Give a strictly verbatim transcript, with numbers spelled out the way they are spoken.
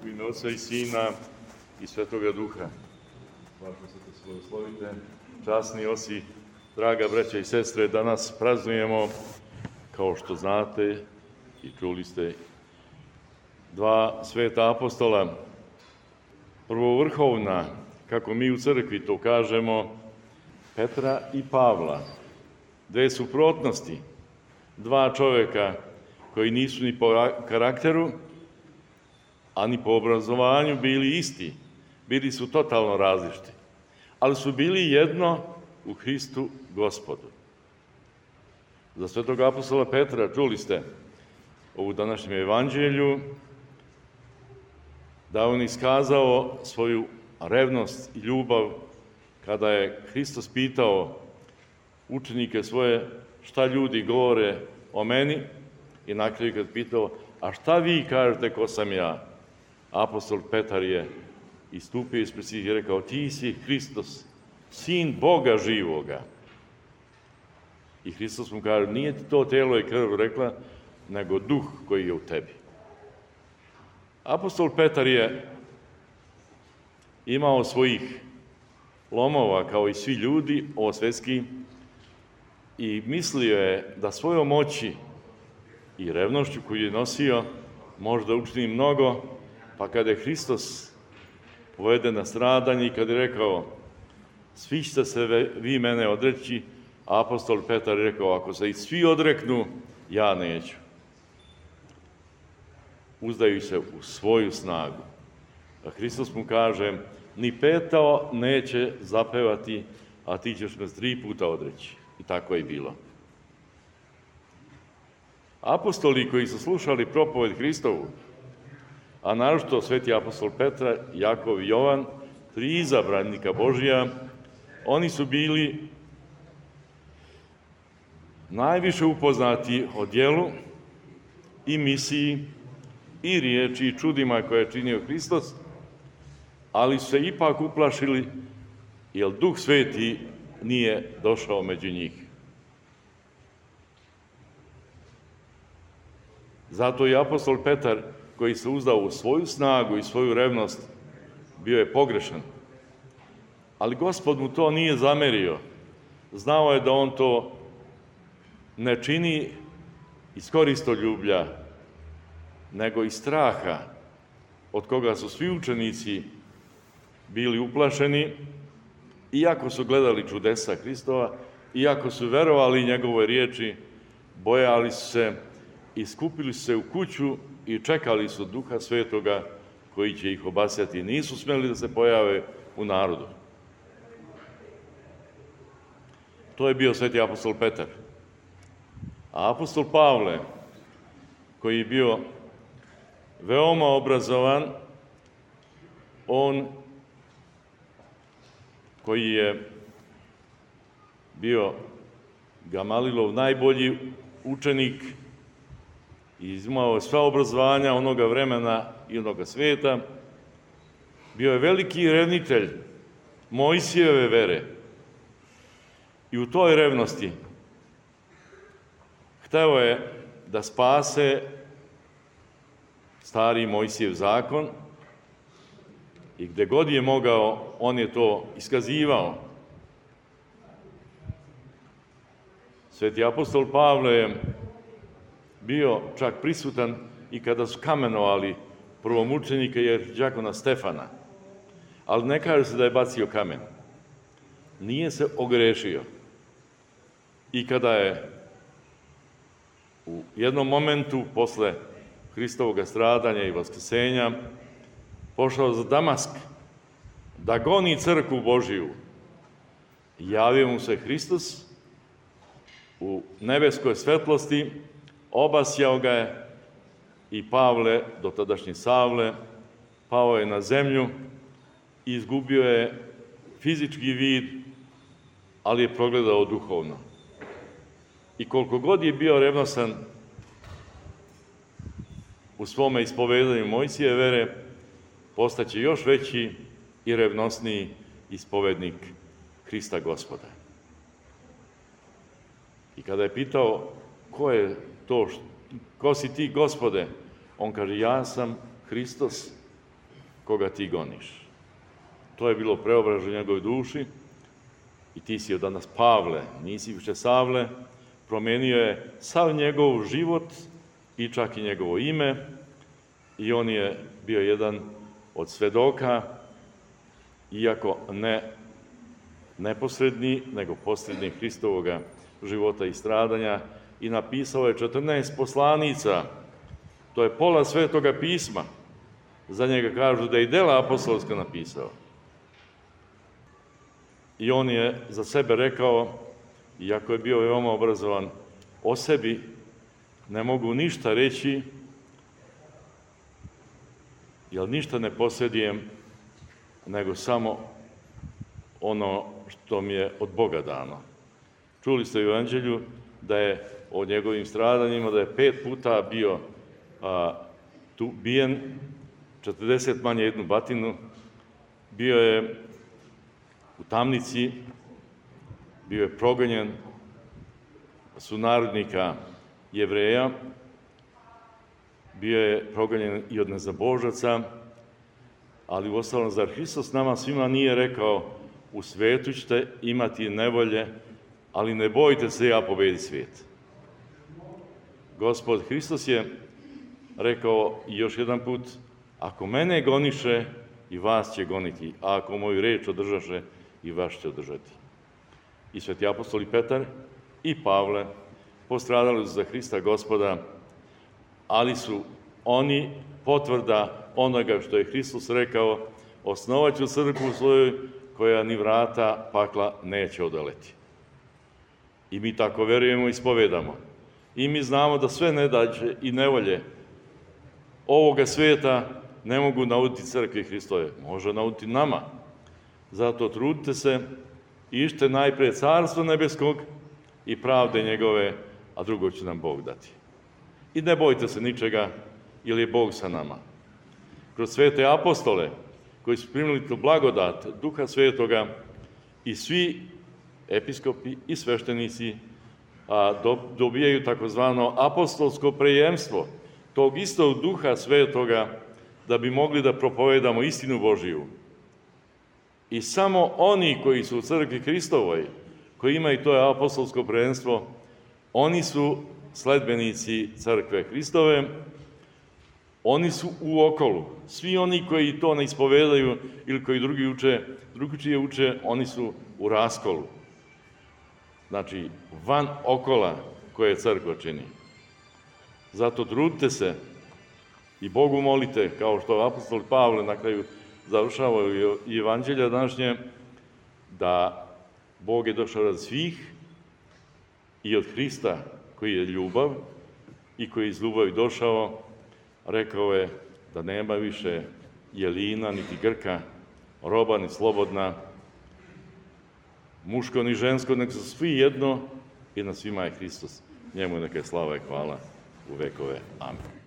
U ime Oca i Sina i Svetoga Duha. Važno se te slavoslovite, časni oci, draga braća i sestre, danas praznujemo, kao što znate i čuli ste, dva sveta apostola. Prvovrhovna, kako mi u crkvi to kažemo, Petra i Pavla. Dve suprotnosti, dva čoveka koji nisu ni po karakteru, a ni po obrazovanju bili isti. Bili su totalno različiti, ali su bili jedno u Hristu Gospodu. Za svetog apostola Petra čuli ste ovu današnjem evanđelju da on iskazao svoju revnost i ljubav kada je Hristos pitao učenike svoje šta ljudi govore o meni i na kraju kad pitao a šta vi kažete ko sam ja? Apostol Petar je istupio ispred svih i rekao ti si Hristos, sin Boga živoga. I Hristos mu kaže nije ti to telo i krv rekla, nego duh koji je u tebi. Apostol Petar je imao svojih lomova kao i svi ljudi, ovo svetski, i mislio je da svojom moći i revnošću koju je nosio može da učini mnogo, pa kada je Hristos povede na stradanje i kada je rekao svi ćete se vi mene odreći, apostol Petar je rekao ako se i svi odreknu, ja neću. Uzdaju se u svoju snagu. A Hristos mu kaže ni petao neće zapevati, a ti ćeš me tri puta odreći. I tako je i bilo. Apostoli koji su slušali propoved Hristovu, a naročito sveti apostol Petra, Jakov i Jovan, tri izabranika Božija, oni su bili najviše upoznati o djelu i misiji i riječi i čudima koje je činio Hristos, ali su se ipak uplašili jer Duh Sveti nije došao među njih. Zato i apostol Petar, koji se uzdao u svoju snagu i svoju revnost, bio je pogrešan. Ali Gospod mu to nije zamerio. Znao je da on to ne čini iz koristoljublja, nego iz straha, od koga su svi učenici bili uplašeni, iako su gledali čudesa Hristova, iako su verovali njegove riječi, bojali su se i skupili su se u kuću i čekali su Duha Svetoga koji će ih obasjati. Nisu smeli da se pojave u narodu. To je bio sveti apostol Petar. A apostol Pavle, koji je bio veoma obrazovan, on koji je bio Gamalilov najbolji učenik i imao sva obrazovanja onoga vremena i onoga sveta, bio je veliki revnitelj Mojsijeve vere. I u toj revnosti hteo je da spase stari Mojsijev zakon i gde god je mogao, on je to iskazivao. Sveti apostol Pavle je bio čak prisutan i kada su kamenovali prvomučenika jer đakona Stefana. Ali ne kaže se da je bacio kamen. Nije se ogrešio. I kada je u jednom momentu posle Hristovog stradanja i vaskrsenja pošao za Damask da goni crkvu Božiju, javio mu se Hristos u nebeskoj svetlosti, obasjao ga je i Pavle, dotadašnji Savle, pao je na zemlju i izgubio je fizički vid, ali je progledao duhovno. I koliko god je bio revnosan u svome ispovedanju Mojsije vere, postaće još veći i revnosniji ispovednik Hrista Gospoda. I kada je pitao ko je to, ko si ti Gospode, on kaže ja sam Hristos, koga ti goniš. To je bilo preobražaj u njegovoj duši i ti si od danas Pavle, nisi više Savle, promenio je sav njegov život i čak i njegovo ime i on je bio jedan od svedoka, iako ne neposredni, nego posredni Hristovoga života i stradanja i napisao je četrnaest poslanica. To je pola Svetoga pisma. Za njega kažu da je i dela apostolska napisao. I on je za sebe rekao, iako je bio veoma obrazovan, o sebi ne mogu ništa reći, jer ništa ne posjedijem, nego samo ono što mi je od Boga dano. Čuli ste u Evanđelju da je o njegovim stradanjima, da je pet puta bio a, tu bijen, četrdeset manje jednu batinu, bio je u tamnici, bio je progonjen sunarodnika Jevreja, bio je progonjen i od nezabožaca, ali uostalom, zar Hristos nama svima nije rekao, u svetu ćete imati nevolje, ali ne bojte se, ja pobedi svijet. Gospod Hristos je rekao i još jedan put, ako mene goniše, i vas će goniti, a ako moju reč održaše, i vas će održati. I sveti apostoli Petar i Pavle postradali su za Hrista Gospoda, ali su oni potvrda onoga što je Hristos rekao, osnovat ću crkvu svoju koja ni vrata pakla neće odoleti. I mi tako verujemo i ispovedamo. I mi znamo da sve nedaće i nevolje ovoga svijeta ne mogu nauditi crkvi Hristove. Može nauditi nama. Zato trudite se, ište najpre carstvo nebeskog i pravde njegove, a drugo će nam Bog dati. I ne bojte se ničega, jer je Bog sa nama. Kroz svete apostole, koji su primili tu blagodat Duha Svetoga, i svi episkopi i sveštenici a, do, dobijaju takozvano apostolsko prejemstvo tog istog Duha Svetoga, da bi mogli da propovedamo istinu Božiju. I samo oni koji su u crkvi Hristovoj, koji imaju to apostolsko prvenstvo, oni su sledbenici crkve Hristove, oni su u okolu. Svi oni koji to ne ispovedaju ili koji drugi uče, drugačije uče, oni su u raskolu. Znači, van okola koje crkva čini. Zato trudite se i Bogu molite, kao što apostol Pavle na kraju završava i Evanđelja današnje, da Bog je došao rad svih i od Hrista koji je ljubav i koji je iz ljubavi došao, rekao je da nema više jelina, niti Grka, roba, ni slobodna, muško ni žensko, nek su svi jedno i na svima je Hristos. Njemu neka je slava i hvala u vekove. Amen.